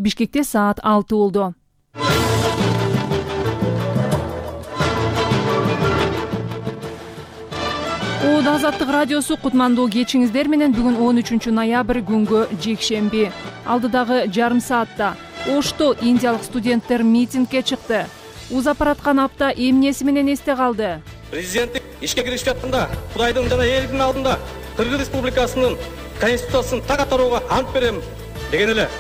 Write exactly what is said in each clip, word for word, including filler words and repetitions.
Бишкекте саат алты болду. Оод Азаттык радиосу кутмандуу кечиңиздер менен бүгүн он үчүнчү ноябрь күнгө жекшемби. Алдыдагы жарым саатта Ошто индиялык студенттер митингге чыкты. Узапараткан апта эмнеси менен эсте калды? Президенттик ишке киришип жатканда Кудайдын жана элдин алдында Кыргыз Республикасынын конституциясын так аткарууга ант берем деген эле.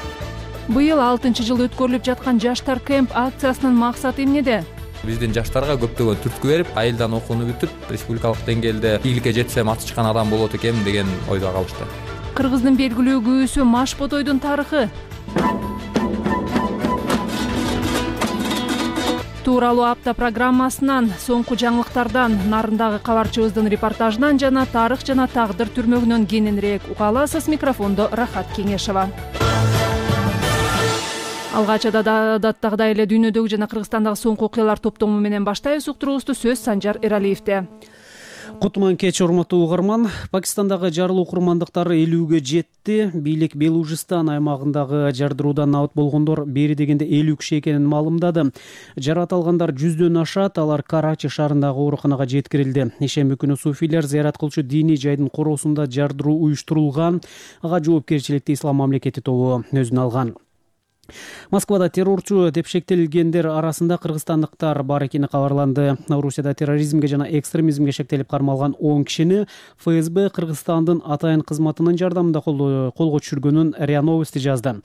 Быйыл алтынчы жыл өткөрүлүп жаткан жаштар кемп акциясынын максаты эмнеде? Биздин жаштарга көптөгөн түрткү берип, айылдан окууну бүтүп, республикалык деңгээлде ийгиликке жетсем аты чыккан адам болот экем деген ойдо калышты. Кыргыздын белгилүү күүсү Маш Ботойдун тарыхы. Тууралуу апта программасынан, соңку жаңылыктардан, нарындагы кабарчыбыздын репортажынан жана тарых жана тагдыр түрмөгүнөн кененирээк уга аласыз. Микрофондо Рахат Кеңешова. Алгач адаттагыдай эле дүйнөдөгү жана Кыргызстандагы соңку окуялар топтому менен баштайбыз. Уктуруубузду сөз Санжар Эралиевде. Кутман кеч, урматтуу угарман. Пакистандагы жарылуу курмандыктары элүүгө жетти. Бийлик Белужистан аймагындагы жардыруудан абат болгондор бери дегенде элүү киши экенин маалымдады. Жаракат алгандар жүздөн ашат. Алар Карачи шаарындагы ооруканага жеткирилди. Ишемби күнү суфийлер зыярат кылчу диний жайдын короосунда жардыруу уюштурулган. Ага жоопкерчиликти Ислам мамлекети тобу өзүнө алган. Москвада террорчу деп шектелгендер арасында кыргызстандыктар бар экени кабарланды. Орусияда терроризмге жана экстремизмге шектелип кармалган он кишини ФСБ Кыргызстандын атайын кызматынын жардамында колго түшүргөнүн РИА Новости жазды.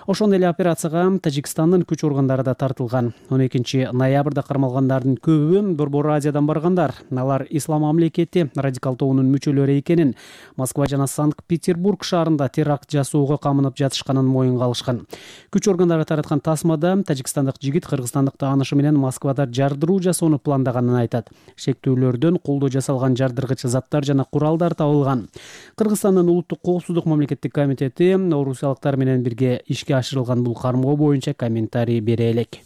Ошондой эле операцияга Тажикстандын күч органдары да тартылган. он экинчи ноябрда кармалгандардын көбү Борбор Азиядан баргандар. Алар Ислам мамлекети радикал тобунун мүчөлөрү экенин, Москва жана Санкт-Петербург шаарында теракт жасоого камынып жатышканын моюнга алышкан. Күч органдары тараткан тасмада тажикстандык жигит кыргызстандык таанышы менен Москвада жардыруу жасоону пландаганын айтат. Шектүүлөрдөн колдо жасалган жардыргыч заттар жана куралдар табылган. Кыргызстандын улуттук коопсуздук мамлекеттик комитети орусиялыктар менен бирге ишке ашырылган бул кармоо боюнча комментарий бере элек.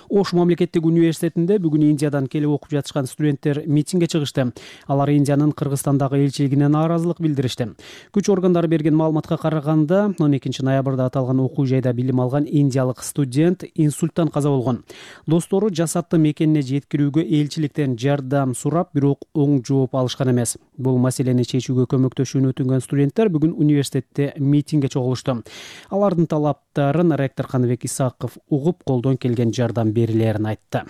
Ош мамлекеттик университетинде бүгүн Индиядан келип окуп жатышкан студенттер митингге чыгышты. Алар Индиянын Кыргызстандагы элчилигине нааразылык билдиришти. Күч органдары берген маалыматка караганда, он экинчи ноябрда аталган окуу жайда билим алган индиялык студент инсульттан каза болгон. Достору жасатты мекенине жеткирүүгө элчиликтен жардам сурап, бирок оң жооп алышкан эмес. Бул маселени чечүүгө көмөктөшүүнү өтүнгөн студенттер бүгүн университетте митингге чогулушту. Алардын талаптарын ректор Каныбек Исаков угуп, колдон келген жардам берилерин айтты.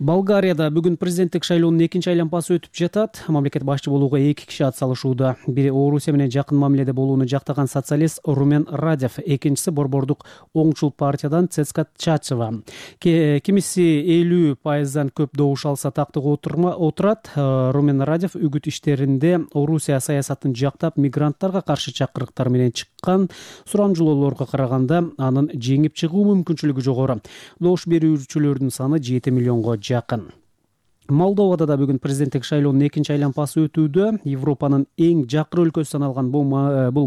Болгарияда бүгүн президенттик шайлоонун экинчи айланпасы өтүп жатат. Мамлекет башчы болууга эки киши ат салышууда. Бири Орусия менен жакын мамиледе болууну жактаган социалист Румен Радев, экинчиси борбордук оңчул партиядан Цецка Чачева. Кимиси элүү пайыздан көп добуш алса тактыга отурат. Румен Радев үгүт иштеринде Орусия саясатын жактап, мигранттарга каршы чакырыктар менен чыккан сурамжылоолорго караганда анын жеңип чыгуу мүмкүнчүлүгү жогору. Добуш берүүчүлөрдүн саны жети миллионго жакын. Молдовада да бүгүн президенттик шайлоонун экинчи айланпасы өтүүдө. Европанын эң жакыр өлкөсү саналган бул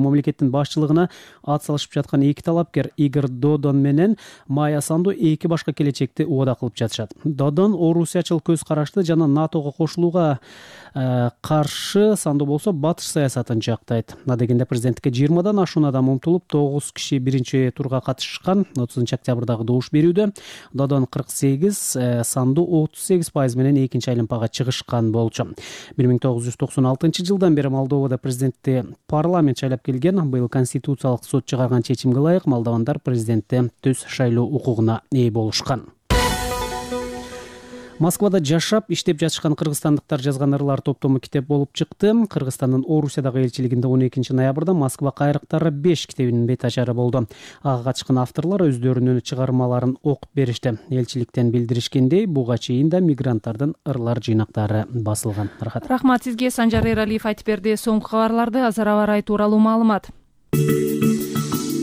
мамлекеттин башчылыгына ат салышып жаткан эки талапкер Игорь Додон менен Майя Санду эки башка келечекти убада кылып жатышат. Додон орусиячыл көз карашты жана НАТОго кошулууга каршы, Санду болсо батыш саясатын жактайт. Адегенде президенттикке жыйырмадан ашуун адам умтулуп, тогуз киши биринчи турга катышкан. отузунчу октябрдагы добуш берүүдө Додон кырк сегиз, Санду отуз сегиз пайыз менен экинчи айланпага чыгышкан болчу. бир миң тогуз жүз токсон алтынчы жылдан бери Молдовада президентти парламент шайлап келген. Быйыл конституциялык сот чыгарган чечимге ылайык молдовандар президентти түз шайлоо укугуна ээ болушкан. Москвада жашап, иштеп жатышкан кыргызстандыктар жазган ырлар топтому китеп болуп чыкты. Кыргызстандын Орусиядагы элчилигинде он экинчи ноябрда Москва кайрыктары беш китебинин бет ачары болду. Ага катышкан авторлор өздөрүнүн чыгармаларын окуп беришти. Элчиликтен билдиришкендей, буга чейин да мигранттардын ырлар жыйнактары басылган. Рахат. Рахмат сизге, Санжар Эралиев айтып берди. Соңку кабарларды азыр аба ырайы тууралуу маалымат.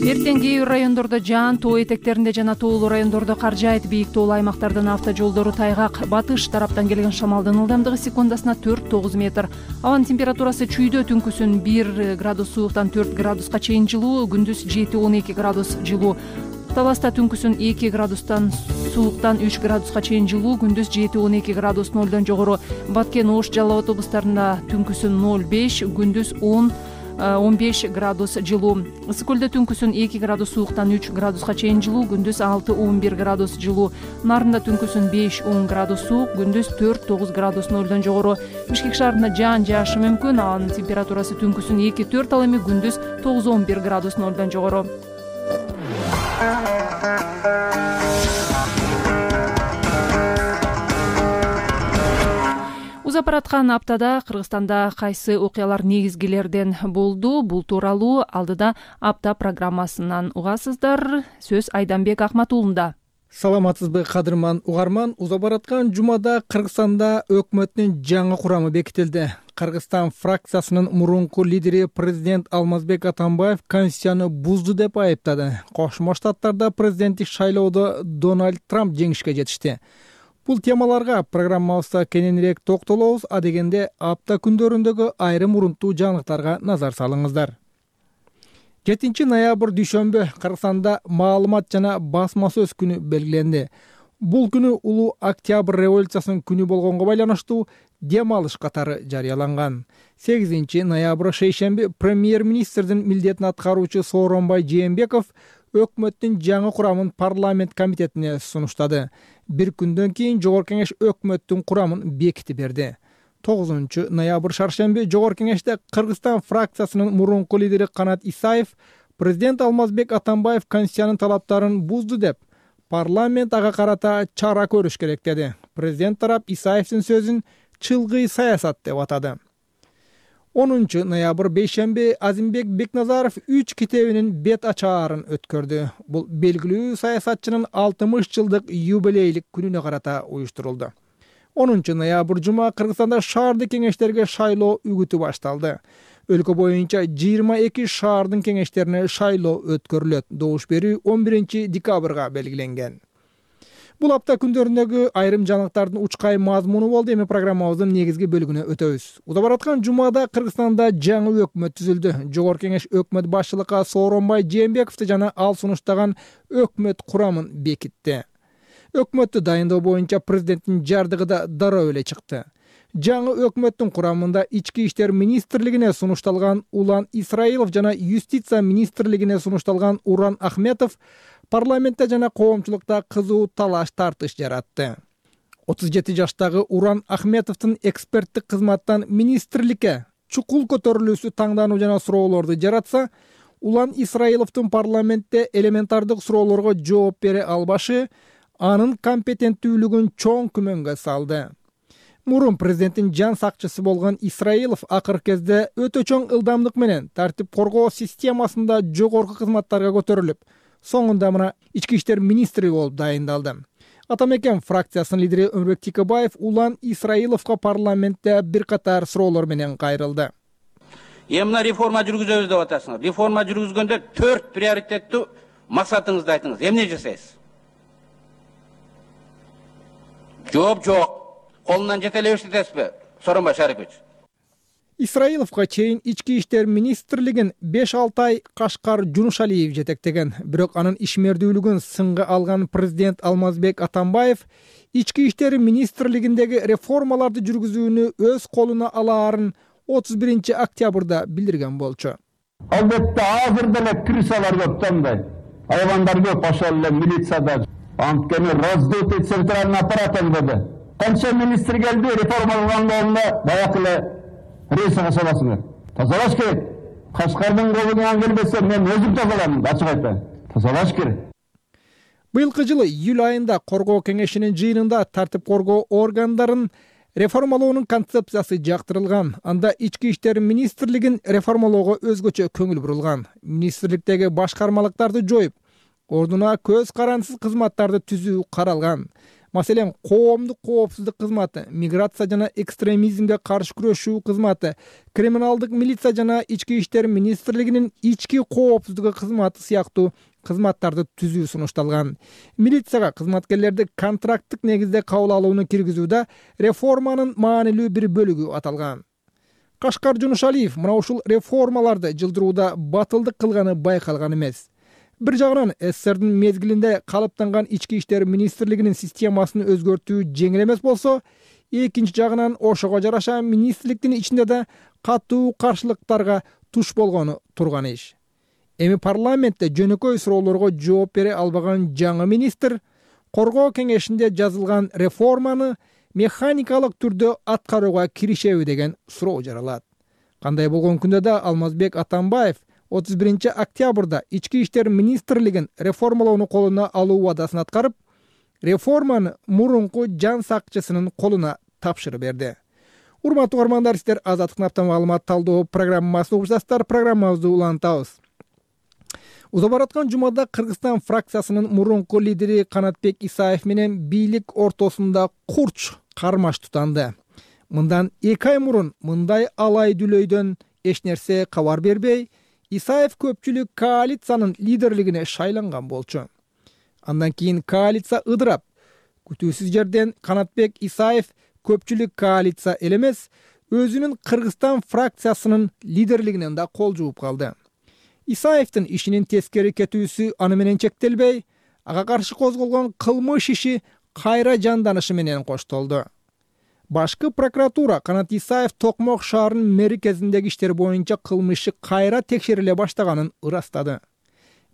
Эртең кээ бир райондордо жаан, тоо этектеринде жана тоолуу райондордо кар жаайт. Бийик тоолуу аймактардын автожолдору тайгак. Батыш тараптан келген шамалдын ылдамдыгы секундасына төрт тогуз метр. Абанын температурасы чүйдө түнкүсүн бир градус сууктан төрт градуска чейин жылуу, күндүз жети он эки градус жылуу. Таласта түнкүсүн эки градустан сууктан үч градуска чейин жылуу, күндүз жети он эки градус нолдон жогору. Баткен, Ош, Жалал Абад облустарында түнкүсүн ноль беш, күндүз он он беш градус жылуу. Ысык көлдө түнкүсүн эки градус сууктан үч градуска чейин жылуу, күндүз алты он бир градус жылуу. Нарында түнкүсүн беш он градус суук, күндүз төрт тогуз градус нолдон жогору. Бишкек шаарында жаан жаашы мүмкүн, анын температурасы түнкүсүн эки төрт, ал эми күндүз тогуз он бир градус нолдон жогору. Узап бараткан аптада Кыргызстанда кайсы окуялар негизгилерден болду? Бул тууралуу алдыда апта программасынан угасыздар. Сөз Айданбек Акматуулунда. Саламатсызбы кадырман угарман. Узап бараткан жумада Кыргызстанда өкмөттүн жаңы курамы бекитилди. Кыргызстан фракциясынын мурунку лидери президент Алмазбек Атамбаев Конституцияны бузду деп айыптады. Кошмо Штаттарда президенттик шайлоодо Дональд Трамп жеңишке жетишти. Бул темаларга программабызда кененирээк токтолобуз, а дегенде апта күндөрүндөгү айрым урунттуу жаңылыктарга назар салыңыздар. жетинчи ноябрь дүйшөмбү Кыргызстанда маалымат жана басма сөз күнү белгиленди. Бул күнү улуу Октябрь революциясынын күнү болгонго байланыштуу дем алыш катары жарыяланган. сегизинчи ноябрь шейшемби премьер-министрдин милдетин аткаруучу Сооронбай Жээнбеков өкмөттүн жаңы курамын парламент комитетине сунуштады. Бир күндөн кийин Жогорку кеңеш өкмөттүн курамын бекитип берди. тогузунчу ноябрь шаршемби Жогорку кеңеште Кыргызстан фракциясынын мурунку лидери Канат Исаев президент Алмазбек Атамбаев Конституциянын талаптарын бузду деп, парламент ага карата чара көрүш керек деди. Президент тарап Исаевдин сөзүн чылгый саясат деп атады. онунчу ноябрь бейшемби Азимбек Бекназаров үч китебинин бет ачаарын өткөрдү. Бул белгилүү саясатчынын алтымыш жылдык юбилейлик күнүнө карата уюштурулду. онунчу ноябрь жума Кыргызстанда шаардык кеңештерге шайлоо үгүтү башталды. Өлкө боюнча жыйырма эки шаардын кеңештерине шайлоо өткөрүлөт. Добуш берүү он биринчи декабрга белгиленген. Бул апта күндөрүндөгү айрым жаңылыктардын учкай мазмуну болду. Эми программабыздын негизги бөлүгүнө өтөбүз. Узап бараткан жумада Кыргызстанда жаңы өкмөт түзүлдү. Жогорку кеңеш өкмөт башчылыкка Сооронбай Жээнбековду жана ал сунуштаган өкмөт курамын бекитти. Өкмөттү дайындоо боюнча президенттин жардыгы да дароо эле чыкты. Жаңы өкмөттүн курамында ички иштер министрлигине сунушталган Улан Исраилов жана юстиция министрлигине сунушталган Уран Ахметов парламентте жана коомчулукта кызуу талаш тартыш жаратты. отуз жети жаштагы Уран Ахметовдун эксперттик кызматтан министрликке чукул көтөрүлүүсү таңдануу жана суроолорду жаратса, Улан Исраиловдун парламентте элементардык суроолорго жооп бере албашы анын компетенттүүлүгүн чоң күмөнгө салды. Мурун президенттин жан сакчысы болгон Исраилов акыркы кезде өтө чоң ылдамдык менен тартип коргоо системасында жогорку кызматтарга көтөрүлүп, соңунда мына ички иштер министри болуп дайындалды. Атамекен фракциясынын лидери Өмүрбек Тикебаев Улан Исраиловго парламентте бир катар суроолор менен кайрылды. Эмне реформа жүргүзөбүз деп атасыңар? Реформа жүргүзгөндө төрт приоритеттүү максатыңызды айтыңыз. Эмне жасайсыз? Жооп жок. Колунан жете эле эштетесизби? Сооронбай Шарипович. Исраиловго чейин ички иштер министрлигин беш алты ай Кашкар Жунушалиев жетектеген. Бирок анын ишмердүүлүгүн сынга алган президент Алмазбек Атамбаев ички иштер министрлигиндеги реформаларды жүргүзүүнү өз колуна алаарын отуз биринчи октябрда билдирген болчу. Албетте азыр деле крысалар көп тандай. Айвандар көп, ошол эле милицияда. Анткени раздутый центральный аппарат эмгеди. Канча министр келди, реформа кылганда баягы эле рейс касабасыңар. Тазалаш керек. Кашкардын колунан келбесе мен өзүм тазалайм, ачык айтайын. Тазалаш керек. Быйылкы жылы июль айында коргоо кеңешинин жыйынында тартип коргоо органдарын реформалоонун концепциясы жактырылган. Анда ички иштер министрлигин реформалоого өзгөчө көңүл бурулган. Министрликтеги башкармалыктарды жоюп, ордуна көз карансыз кызматтарды түзүү каралган. Маселен, коомдук коопсуздук кызматы, миграция жана экстремизмге каршы күрөшүү кызматы, криминалдык милиция жана ички иштер министрлигинин ички коопсуздугу кызматы сыяктуу кызматтарды түзүү сунушталган. Милицияга кызматкерлерди контракттык негизде кабыл алууну киргизүүдө реформанын маанилүү бир бөлүгү аталган. Кашкар Жунушалиев мына ушул реформаларды жылдырууда батылдык кылганы байкалган эмес. Бир жагынан СССРдин мезгилинде калыптанган ички иштер министрлигинин системасын өзгөртүү жеңил эмес болсо, экинчи жагынан ошого жараша министрликтин ичинде да катуу каршылыктарга туш болгону турган иш. Эми парламентте жөнөкөй суроолорго жооп бере албаган жаңы министр коргоо кеңешинде жазылган реформаны механикалык түрдө аткарууга киришеби деген суроо жаралат. Кандай болгон күндө да Алмазбек Атамбаев отуз биринчи октябрда ички иштер министрлигин реформалоону колуна алуу убадасын аткарып, реформаны мурунку жан сакчысынын колуна тапшырып берди. Урматтуу угармандар, сиздер Азаттыктын апта маалымат талдоо программасын угуп жатасыздар. Программабызды улантабыз. Уза бараткан жумада Кыргызстан фракциясынын мурунку лидери Канатбек Исаев менен бийлик ортосунда курч кармаш тутанды. Мындан эки ай мурун мындай алай дүлөйдөн эч нерсе кабар бербей, Исаев көпчүлүк коалициянын лидерлигине шайланган болчу. Андан кийин коалиция ыдырап, күтүүсүз жерден Канатбек Исаев көпчүлүк коалиция элемес, өзүнүн Кыргызстан фракциясынын лидерлигинен да кол жууп калды. Исаевдин ишинин тескери кетүүсү аны менен чектелбей, ага каршы козголгон кылмыш иши кайра жанданышы менен коштолду. Башкы прокуратура Канат Исаев Токмок шаарынын меркезиндеги иштер боюнча кылмышы кайра текшериле баштаганын ырастады.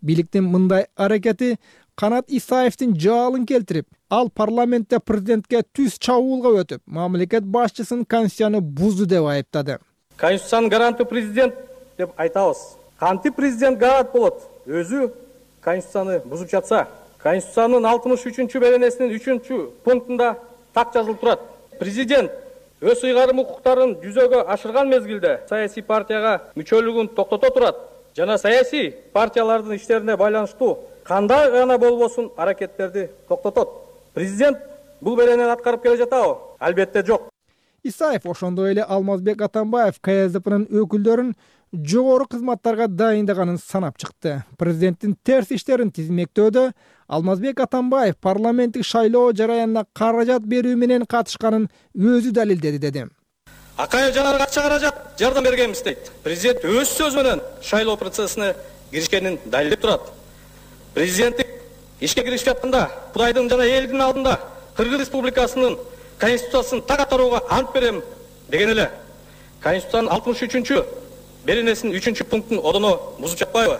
Бийликтин мындай аракети Канат Исаевдин жаалын келтирип, ал парламентте президентке түз чабуулга өтүп, мамлекет башчысын конституцияны бузду деп айыптады. Конституциянын гаранты президент деп айтабыз. Кантип президент гарант болот? Өзү конституцияны бузуп жатса, конституциянын алтымыш үчүнчү беренесинин үчүнчү пунктунда так жазылып турат. Президент өз ыйгарым укуктарын жүзөгө ашырган мезгилде саясий партияга мүчөлүгүн токтото турат жана саясий партиялардын иштерине байланыштуу кандай гана болбосун аракеттерди токтотот. Президент бул беренени аткарып келе жатабы? Албетте жок. Исаев ошондой эле Алмазбек Атамбаев К С Д П'нын өкүлдөрүн жогору кызматтарга дайындаганын санап чыкты. Президенттин терс иштерин тизмектөөдө Алмазбек Атамбаев парламенттик шайлоо жараянына каражат берүү менен катышканын өзү далилдеди деди. Акай жанарга акча каражат жардам бергенбиз дейт. Президент өз сөзү менен шайлоо процессине киришкенин далилдеп турат. Президенттик ишке киришип жатканда Кудайдын жана элдин алдында Кыргыз Республикасынын конституциясын так аткарууга ант берем деген эле. Конституциянын алтымыш үчүнчү беренесинин үчүнчү пунктун одоно бузуп жатпайбы?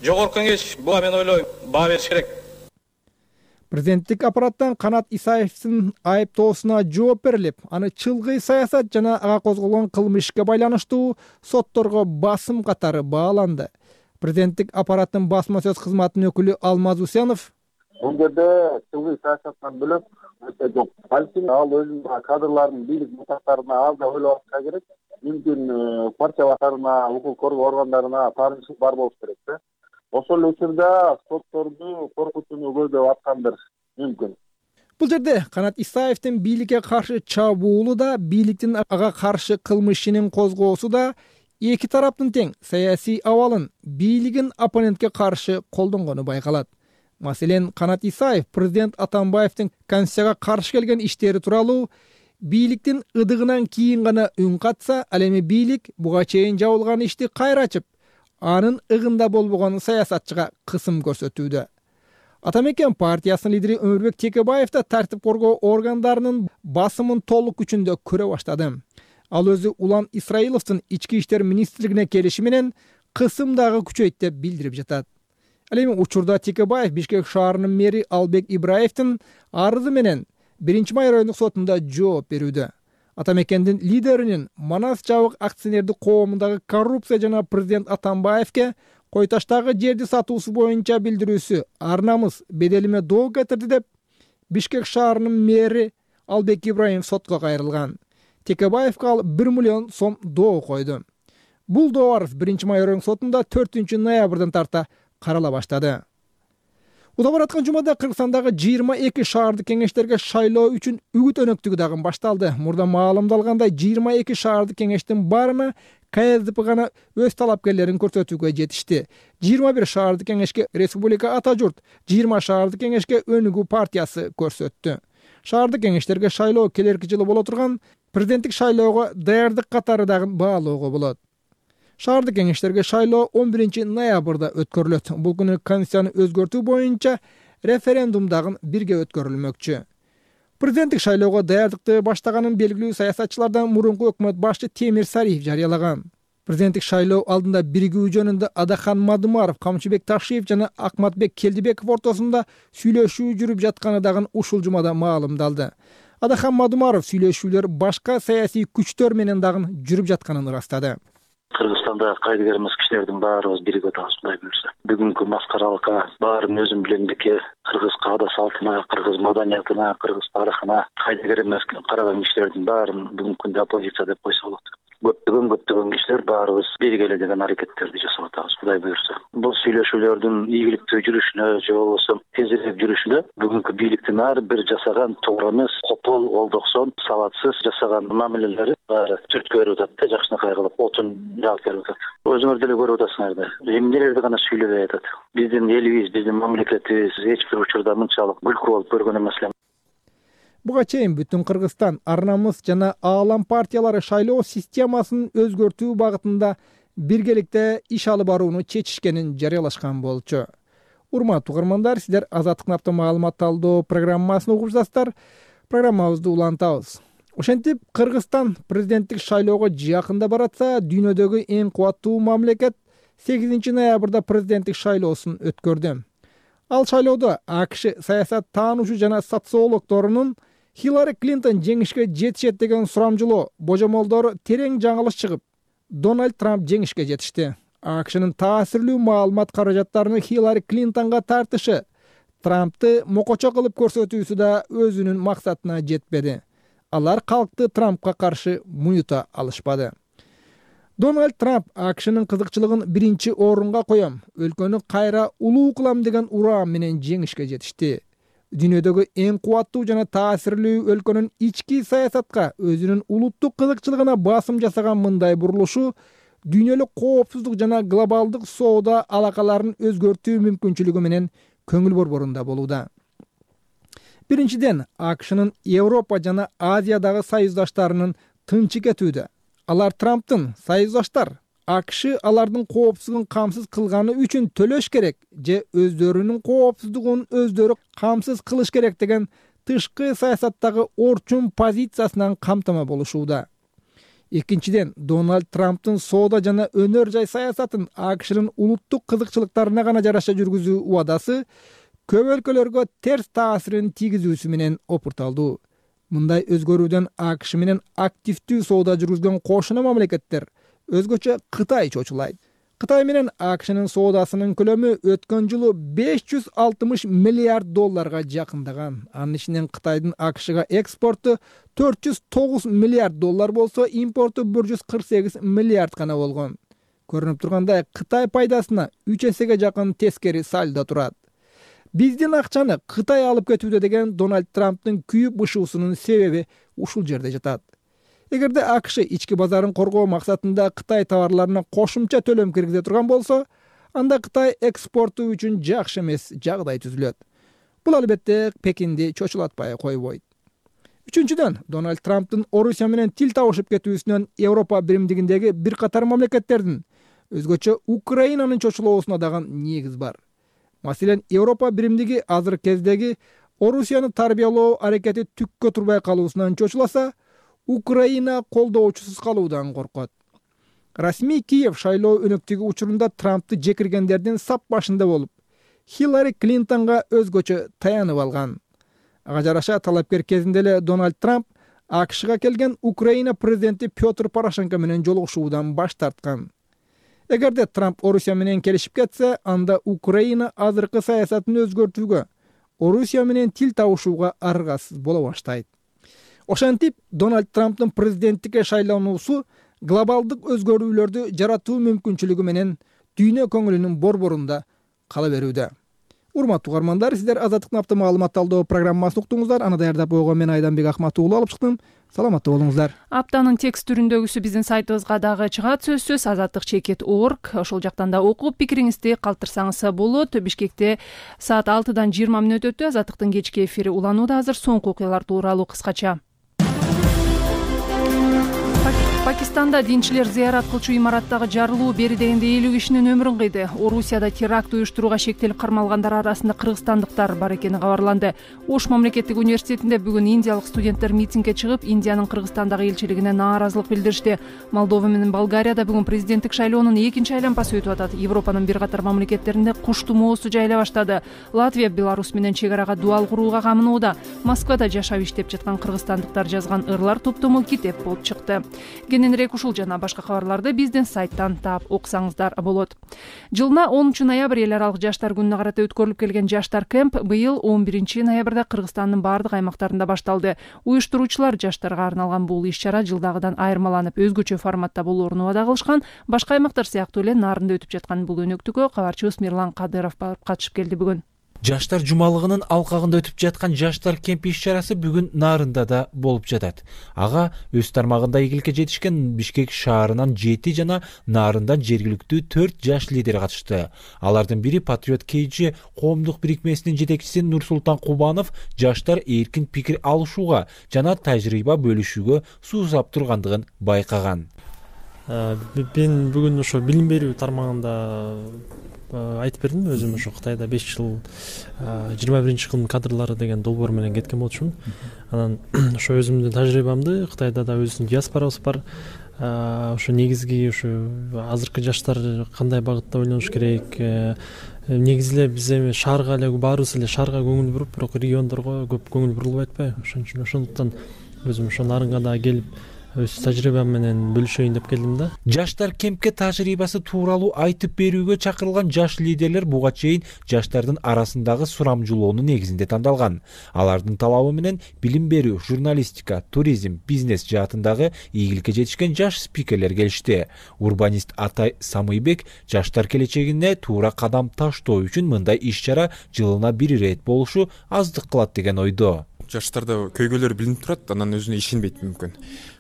Жогорку кеңеш буга мен ойлойм баа бериш керек. Президенттик аппараттан Канат Исаевдин айыптоосуна жооп берилип, аны чылгый саясат жана ага козголгон кылмышка байланыштуу сотторго басым катары бааланды. Президенттик аппараттын басма сөз кызматынын өкүлү Алмаз Усенов: Бул жерде чылгый саясаттан бөлөк өтө жок. Балким ал өзүнүн кадрларын бийлик мутактарына ал да ойлоп атса керек. Мүмкүн партия башкарына, укук коргоо органдарына таанышы бар болуш керек да. Ошол учурда сотторду коркутууну көздөп аткандыр мүмкүн. Бул жерде Канат Исаевдин бийликке каршы чабуулу да, бийликтин ага каршы кылмышынын козгоосу да эки тараптын тең саясий абалын бийлигин оппонентке каршы колдонгону байкалат. Маселен, Канат Исаев президент Атамбаевдин конституцияга каршы келген иштери тууралуу бийликтин ыдыгынан кийин гана үн катса, ал эми бийлик буга чейин жабылган ишти кайра ачып, анын ыгында болбогон саясатчыга кысым көрсөтүүдө. Атамекен партиясынын лидери Өмүрбек Текебаев да тартип коргоо органдарынын басымын толук күчүндө көрө баштады. Ал өзү Улан Исраиловдун ички иштер министрлигине келиши менен кысым дагы күчөйт деп билдирип жатат. Ал эми учурда Текебаев Бишкек шаарынын мэри Албек Ибраевдин арызы менен биринчи май райондук сотунда жооп берүүдө. Атамекендин лидеринин Манас жабык акционердик коомундагы коррупция жана президент Атамбаевке Койташтагы жерди сатуусу боюнча билдирүүсү ар намыс беделиме доо кетирди деп Бишкек шаарынын мэри Албек Ибраев сотко кайрылган. Текебаевге ал бир миллион сом доо койду. Бул доо арыз биринчи май райондук сотунда төртүнчү ноябрдан тарта карала баштады. Уда бараткан жумада Кыргызстандагы жыйырма эки шаардык кеңештерге шайлоо үчүн үгүт өнөктүгү дагы башталды. Мурда маалымдалгандай жыйырма эки шаардык кеңештин баарына К С Д П гана өз талапкерлерин көрсөтүүгө жетишти. жыйырма бир шаардык кеңешке Республика Ата журт, жыйырма шаардык кеңешке Өнүгүү партиясы көрсөттү. Шаардык кеңештерге шайлоо келерки жылы боло турган президенттик шайлоого даярдык катары дагы баалоого болот. Шаардык кеңештерге шайлоо он биринчи ноябрда өткөрүлөт. Бул күнү конституцияны өзгөртүү боюнча референдум дагы бирге өткөрүлмөкчү. Президенттик шайлоого даярдыкты баштаганын белгилүү саясатчылардан мурунку өкмөт башчы Темир Сариев жарыялаган. Президенттик шайлоо алдында биригүү жөнүндө Адахан Мадумаров, Камчыбек Ташиев жана Акматбек Келдибеков ортосунда сүйлөшүү жүрүп жатканы дагы ушул жумада маалымдалды. Адахан Мадумаров сүйлөшүүлөр башка саясий күчтөр менен дагы жүрүп жатканын ырастады. Кыргызстанда кайдыгер эмес кишилердин баарыбыз биригип атабыз, Кудай буюрса. Бүгүнкү маскаралыкка, баарын өзүм билемдикке, кыргыз каада салтына, кыргыз маданиятына, кыргыз тарыхына кайдыгер эмес караган кишилердин баарын бүгүнкү күндө оппозиция деп койсо болот. Көптөгөн көптөгөн кишилер баарыбыз биригеле деген аракеттерди жасап атабыз, Кудай буюрса. Бул сүйлөшүүлөрдүн ийгиликтүү жүрүшүнө же болбосо тезирээк жүрүшүнө бүгүнкү бийликтин ар бир жасаган туура эмес, копол, олдоксон, сабатсыз жасаган мамилелери баары түрткү берип атат да, жакшынакай кылып отун жаап берип атат. Өзүңөр деле көрүп атасыңар да. Эмнелерди гана сүйлөбөй атат. Биздин элибиз, биздин мамлекетибиз эч бир учурда мынчалык күлкү болуп көргөн эмес эле. Буга чейин бүтүн Кыргызстан Ар Намыс жана Аалам партиялары шайлоо системасын өзгөртүү багытында биргеликте иш алып барууну чечишкенин жарыялашкан болчу. Урматтуу угармандар, сиздер Азаттыктын автомаалымат талдоо программасын угуп жатасыздар. Программабызды улантабыз. Ошентип, Кыргызстан президенттик шайлоого жакында баратса, дүйнөдөгү эң кубаттуу мамлекет сегизинчи ноябрда президенттик шайлоосун өткөрдү. Ал шайлоодо АКШ саясат таануучу жана социологдорунун Хиллари Клинтон жеңишке жетишет деген сурамжылоо божомолдору терең жаңылыш чыгып, Дональд Трамп жеңишке жетишти. АКШнын таасирлүү маалымат каражаттарынын Хиллари Клинтонго тартышы, Трампты мокочо кылып көрсөтүүсү да өзүнүн максатына жетпеди. Алар калкты Трампка каршы муюта алышпады. Дональд Трамп АКШнын кызыкчылыгын биринчи орунга коем, өлкөнү кайра улуу кылам деген ураам менен жеңишке жетишти. Дүйнөдөгү эң кубаттуу жана таасирлүү өлкөнүн ички саясатка, өзүнүн улуттук кызыкчылыгына басым жасаган мындай бурулушу дүйнөлүк коопсуздук жана глобалдык соода алакаларын өзгөртүү мүмкүнчүлүгү менен көңүл борборунда болууда. Биринчиден, АКШнын Европа жана Азиядагы союздаштарынын тынчы кетүүдө. Алар Трамптын союздаштар АКШ алардын коопсуздугун камсыз кылганы үчүн төлөш керек же өздөрүнүн коопсуздугун өздөрү камсыз кылыш керек деген тышкы саясаттагы орчун позициясынан камтама болушууда. Экинчиден, Дональд Трамптын соода жана өнөр жай саясатын АКШнын улуттук кызыкчылыктарына гана жараша жүргүзүү убадасы көп өлкөлөргө терс таасирин тийгизүүсү менен опурталдуу. Мындай өзгөрүүдөн АКШ менен активдүү соода жүргүзгөн кошуна мамлекеттер, өзгөчө Кытай чочулайт. Кытай менен АКШнын соодасынын көлөмү өткөн жылы беш жүз алтымыш миллиард долларга жакындаган. Анын ичинен Кытайдын АКШга экспорту төрт жүз тогуз миллиард доллар болсо, импорту бир жүз кырк сегиз миллиард гана болгон. Көрүнүп тургандай, Кытай пайдасына үч эсеге жакын тескери сальдо турат. Биздин акчаны Кытай алып кетүүдө деген Дональд Трамптын күйүп бышуусунун себеби ушул жерде жатат. Эгерде АКШ ички базарын коргоо максатында Кытай товарларына кошумча төлөм киргизе турган болсо, анда Кытай экспорту үчүн жакшы эмес жагдай түзүлөт. Бул албетте Пекинди чочулатпай койбойт. Үчүнчүдөн, Дональд Трамптын Орусия менен тил табышып кетүүсүнөн Европа биримдигиндеги бир катар мамлекеттердин, өзгөчө Украинанын чочулоосуна дагы негиз бар. Маселен, Европа биримдиги азыркы кездеги Орусияны тарбиялоо аракети түккө турбай калуусунан чочуласа, Украина колдоочусуз калуудан коркот. Расмий Киев шайлоо өнөктүгү учурунда Трампты жекиргендердин сап башында болуп, Хиллари Клинтонго өзгөчө таянып алган. Ага жараша талапкер кезинде эле Дональд Трамп АКШга келген Украина президенти Петр Порошенко менен жолугушуудан баш тарткан. Эгерде Трамп Орусия менен келишип кетсе, анда Украина азыркы саясатын өзгөртүүгө, Орусия менен тил табышууга аргасыз боло баштайт. Ошентип, Дональд Трамптын президенттикке шайлануусу глобалдык өзгөрүүлөрдү жаратуу мүмкүнчүлүгү менен дүйнө көңүлүнүн борборунда кала берүүдө. Урматтуу угармандар, сиздер Азаттыктын автомаалымат талдоо программасын уктуңуздар. Аны даярдап койгон мен Айданбек Акматуулу алып чыктым. Саламатта болуңуздар. Аптанын текст түрүндөгүсү биздин сайтыбызга дагы чыгат, сөзсүз азаттык чекит точка орг. Ошол жактан да окуп, пикириңизди калтырсаңыз болот. Бишкекте саат алтыдан жыйырма мүнөт өтүп, Азаттыктын кечки эфири уланууда. Азыр соңку окуялар тууралуу кыскача. Пакистанда динчилер зыярат кылчу имараттагы жарылуу бери дегенде элүү кишинин өмүрүн кыйды. Орусияда теракт уюштурууга шектелип кармалгандар арасында кыргызстандыктар бар экени кабарланды. Ош мамлекеттик университетинде бүгүн индиялык студенттер митингге чыгып, Индиянын Кыргызстандагы элчилигине нааразылык билдиришти. Молдова менен Болгарияда бүгүн президенттик шайлоонун экинчи айланпасы өтүп атат. Европанын бир катар мамлекеттеринде куш тумоосу жайла баштады. Латвия Беларусь менен чек арага дуал курууга камынууда. Москвада жашап иштеп жаткан кыргызстандыктар жазган ырлар топтому китеп болуп чыкты. Кененирээк ушул жана башка кабарларды биздин сайттан таап окусаңыздар болот. Жылына онунчу ноябрь эл аралык жаштар күнүнө карата өткөрүлүп келген жаштар кемп быйыл он биринчи ноябрда Кыргызстандын бардык аймактарында башталды. Уюштуруучулар жаштарга арналган бул иш-чара жылдагыдан айырмаланып өзгөчө форматта болоорун убада кылышкан. Башка аймактар сыяктуу эле Нарында өтүп жаткан бул өнөктүккө кабарчыбыз Мирлан Кадыров барып катышып келди бүгүн. Жаштар жумалыгынын алкагында өтүп жаткан жаштар кемпи иш-чарасы бүгүн Нарында да болуп жатат. Ага өз тармагында ийгиликке жетишкен Бишкек шаарынан жети жана Нарындан жергиликтүү төрт жаш лидер катышты. Алардын бири Патриот Кейджи коомдук бирикмесинин жетекчиси Нурсултан Кубанов жаштар эркин пикир алышууга жана тажрыйба бөлүшүүгө суусап тургандыгын байкаган. Мен бүгүн ошо билим берүү тармагында айтып бердим. Өзүм ошо Кытайда беш жыл жыйырма биринчи кылым кадрлары деген долбоор менен кеткен болчумун. Анан ошо өзүмдүн тажрыйбамды Кытайда да өзүнүн диаспорабыз бар. Ошо негизги ошо азыркы жаштар кандай багытта ойлонуш керек. Негизи эле биз эми шаарга эле баарыбыз эле шаарга көңүл буруп, бирок региондорго көп көңүл бурулбай атпайбы? Ошон үчүн ошондуктан өзүм ошо Нарынга да келип өз тажрыйбам менен бөлүшөйүн деп келдим да. Жаштар кемпке тажрыйбасы тууралуу айтып берүүгө чакырылган жаш лидерлер буга чейин жаштардын арасындагы сурамжылоонун негизинде тандалган. Алардын талабы менен билим берүү, журналистика, туризм, бизнес жаатындагы ийгиликке жетишкен жаш спикерлер келишти. Урбанист Атай Самыйбек жаштар келечегине туура кадам таштоо үчүн мындай иш-чара жылына бир ирет болушу аздык кылат деген ойдо. Жаштарда көйгөйлөр билинип турат, анан өзүнө ишенбейт мүмкүн.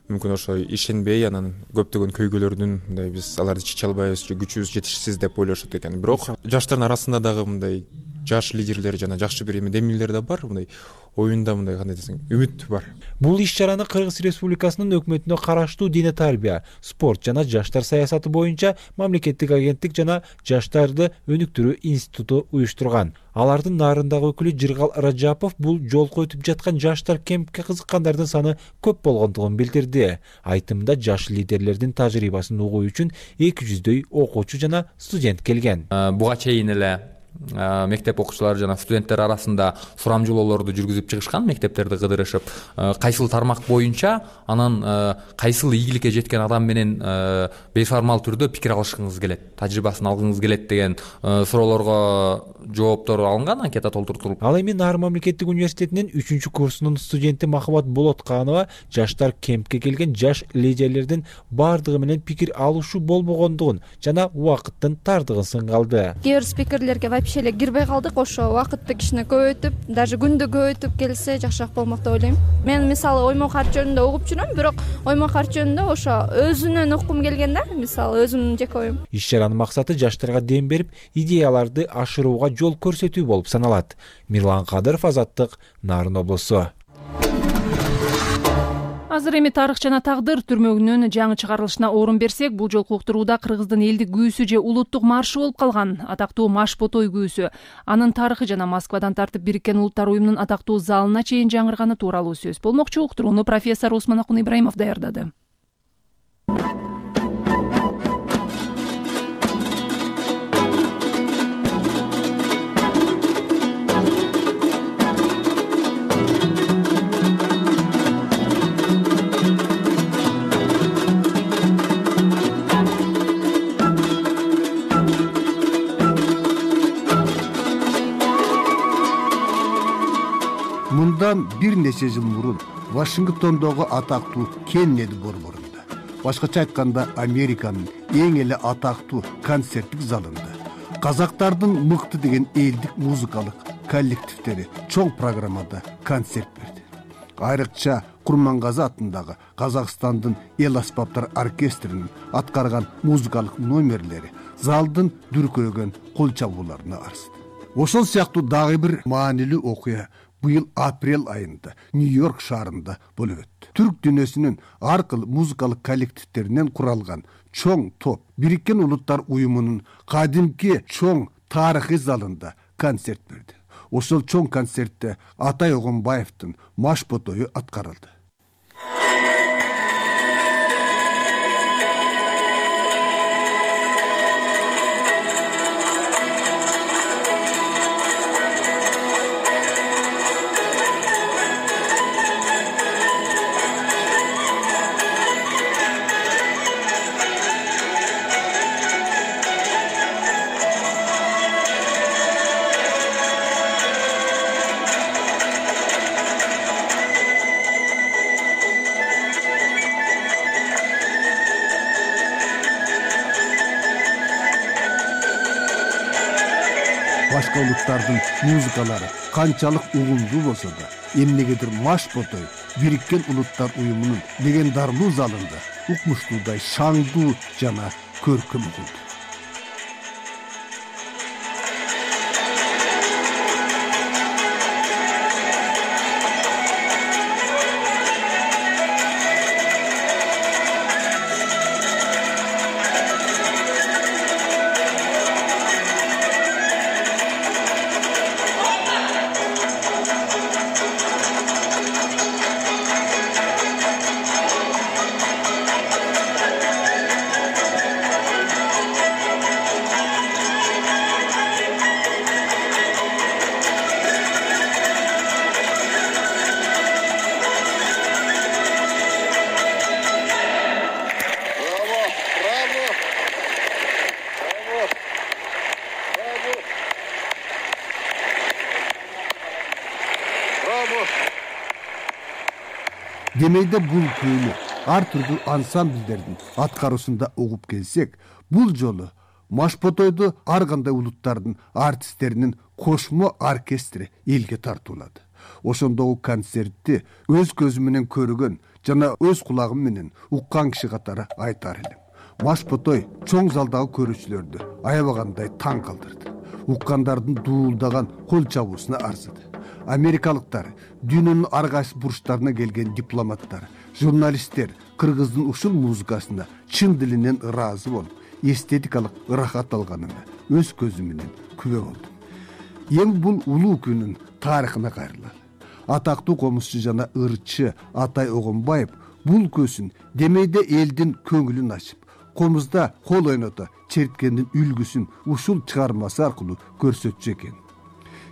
Мүмкүн ошо ишенбей, анан көптөгөн көйгөйлөрдүн мындай биз аларды чече албайбыз, же күчүбүз жетишсиз деп ойлошот экен. Бирок жаштардын арасында дагы мындай жаш лидерлер жана жакшы бир эме демилер да бар. Мындай оюнда мындай кандай десең, үмүт бар. Бул иш-чараны Кыргыз Республикасынын өкмөтүнө караштуу Дине тарбия, спорт жана жаштар саясаты боюнча мамлекеттик агенттик жана жаштарды өнүктүрүү институту уюштурган. Алардын Нарындагы өкүлү Жыргал Раджапов бул жолку өтүп жаткан жаштар кемпке кызыккандардын саны көп болгондугун билдирди. Айтымда жаш лидерлердин тажрыйбасын угуу үчүн эки жүздөй окуучу жана студент келген. Буга чейин эле мектеп окуучулары жана студенттер арасында сурамжылоолорду жүргүзүп чыгышкан, мектептерди кыдырышып, кайсыл тармак боюнча, анан кайсыл ийгиликке жеткен адам менен бейформал түрдө пикир алышкыңыз келет, тажрыйбасын алгыңыз келет деген суроолорго жооптор алынган, анкета толтуртулуп. Ал эми Нарын мамлекеттик университетинин үчүнчү курсунун студенти Махабат Болотканова жаштар кемпке келген жаш лидерлердин бардыгы менен пикир алышуу болбогондугун жана убакыттын тардыгын сынгалды. Кээ бир спикерлерге вообще эле кирбей калдык. Ошо убакытты кичине көбөйтүп, даже күндү көбөйтүп келсе жакшыраак болмок деп ойлойм. Мен мисалы Оймок арт жөнүндө угуп жүрөм, бирок Оймок арт жөнүндө ошо өзүнөн уккум келген да, мисалы өзүмдүн жеке оюм. Иш-чаранын максаты жаштарга дем берип, идеяларды ашырууга жол көрсөтүү болуп саналат. Мирлан Кадыров, Азаттык, Нарын облусу. Азыр эми тарых жана тагдыр түрмөгүнүн жаңы чыгарылышына орун берсек, бул жолку уктурууда Кыргыздын элдик күүсү же улуттук маршы болуп калган, атактуу Маш-Ботой күүсү. Анын тарыхы жана Москвадан тартып Бириккен Улуттар уюмунун атактуу залына чейин жаңырганы тууралуу сөз болмокчу. Уктурууну профессор Осмонакун Ибраимов даярдады. Мындан бир нече жыл мурун Вашингтондогу атактуу Кеннеди борборунда, башкача айтканда Американын эң эле атактуу концерттик залында казактардын мыкты деген элдик музыкалык коллективдери чоң программада концерт берди. Айрыкча Курмангазы атындагы Казакстандын эл аспаптар оркестринин аткарган музыкалык номерлери залдын дүркүрөгөн кол чабууларына арзды. Ошол сыяктуу дагы бир маанилүү окуя быйыл апрель айында Нью-Йорк шаарында болуп өттү. түрк дүйнөсүнүн ар кыл музыкалык коллективдеринен куралган чоң топ Бириккен Улуттар уюмунун кадимки чоң тарыхый залында концерт берди. Ошол чоң концертте Атай Огонбаевдин маш ботою аткарылды. Башка улуттардын музыкалары канчалык угулдуу болсо да, эмнегедир маш ботой Бириккен Улуттар уюмунун легендарлуу залында укмуштуудай шаңдуу жана көркөм угулду. Демейде бул күйүнү ар түрдүү ансамбльдердин аткаруусунда угуп келсек, бул жолу маш ботойду ар кандай улуттардын артисттеринин кошмо оркестри элге тартуулады. Ошондогу концертти өз көзүм менен көргөн жана өз кулагым менен уккан киши катары айтар элем. Маш ботой чоң залдагы көрүүчүлөрдү аябагандай таң калтырды. Уккандардын дуулдаган кол чабуусуна арзыды. Америкалыктар, дүйнөнүн ар кайсы бурчтарына келген дипломаттар, журналисттер кыргыздын ушул музыкасына чын дилинен ыраазы болуп, эстетикалык ырахат алганына өз көзүм менен күбө болдум. Эми бул улуу күнүн тарыхына кайрылалы. Атактуу комузчу жана ырчы Атай Огонбаев бул көсүн демейде элдин көңүлүн ачып, комузда кол ойното черткендин үлгүсүн ушул чыгармасы аркылуу көрсөтчү экен.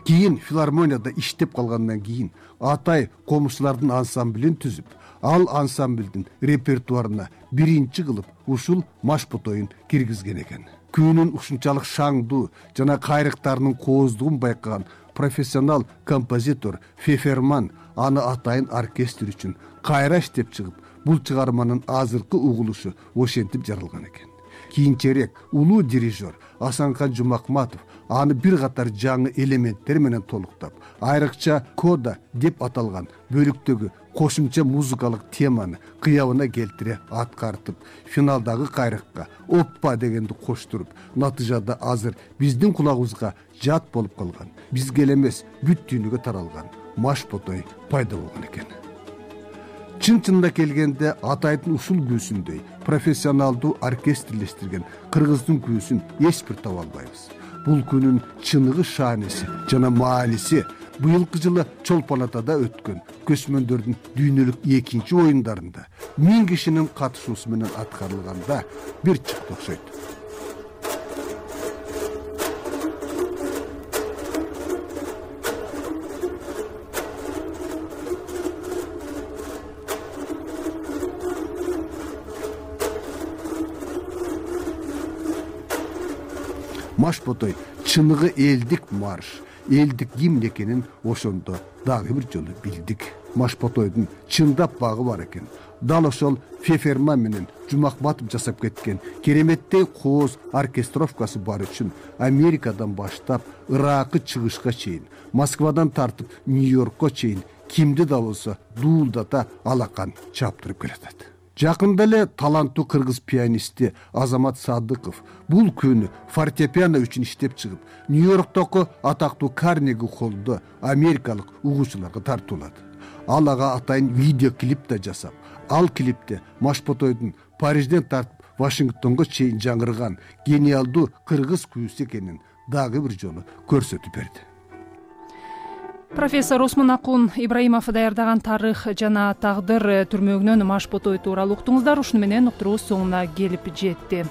Кийин филармонияда иштеп калгандан кийин Атай комузчулардын ансамблин түзүп, ал ансамблдин репертуарына биринчи кылып ушул маш ботоюн киргизген экен. Күнүн ушунчалык шаңдуу жана кайрыктарынын кооздугун байкаган профессионал композитор Феферман аны Атайын оркестр үчүн кайра иштеп чыгып, бул чыгарманын азыркы угулушу ошентип жаралган экен. Кийинчерээк улуу дирижер Асанхан Жумакматов аны бир катар жаңы элементтер менен толуктап, айрыкча кода деп аталган бөлүктөгү кошумча музыкалык теманы кыябына келтире аткартып, финалдагы кайрыкка оппа дегенди коштуруп, натыйжада азыр биздин кулагыбызга жат болуп калган, бизге эле эмес бүт дүйнөгө таралган маш ботой пайда болгон экен. Чын-чынында келгенде Атайдын ушул күүсүндөй профессионалдуу оркестрлештирген кыргыздын күүсүн эч бир таба албайбыз. Бул күнүн чыныгы шааниси жана мааниси быйылкы жылы Чолпон Атада өткөн көчмөндөрдүн дүйнөлүк экинчи оюндарында миң кишинин катышуусу менен аткарылганда бир чыкты окшойт. Маш ботой чыныгы элдик марш, элдик гимн экенин ошондо дагы бир жолу билдик. Маш ботойдун чындап багы бар экен. Дал ошол Феферман менен Жумакматов жасап кеткен кереметтей кооз оркестровкасы бар үчүн Америкадан баштап Иракы чыгышка чейин, Москвадан тартып Нью-Йоркко чейин кимди да болсо дуулдата алакан чаптырып келатат. Жакында эле таланттуу кыргыз пианисти Азамат Садыков бул күнү фортепиано үчүн иштеп чыгып, Нью-Йорктогу атактуу Карнеги холлдо америкалык угуучуларга тартуулады. ал ага атайын видео клип да жасап, ал клипте Машботойдун Парижден тартып Вашингтонго чейин жаңырган гениалдуу кыргыз күүсү экенин дагы бир жолу көрсөтүп берди. Профессор Осмон Акун Ибраимов даярдаган тарых жана тагдыр түрмөгүнөн Машботой тууралуу уктуңуздар. Ушуну менен уктуруубуз соңуна келип жетти.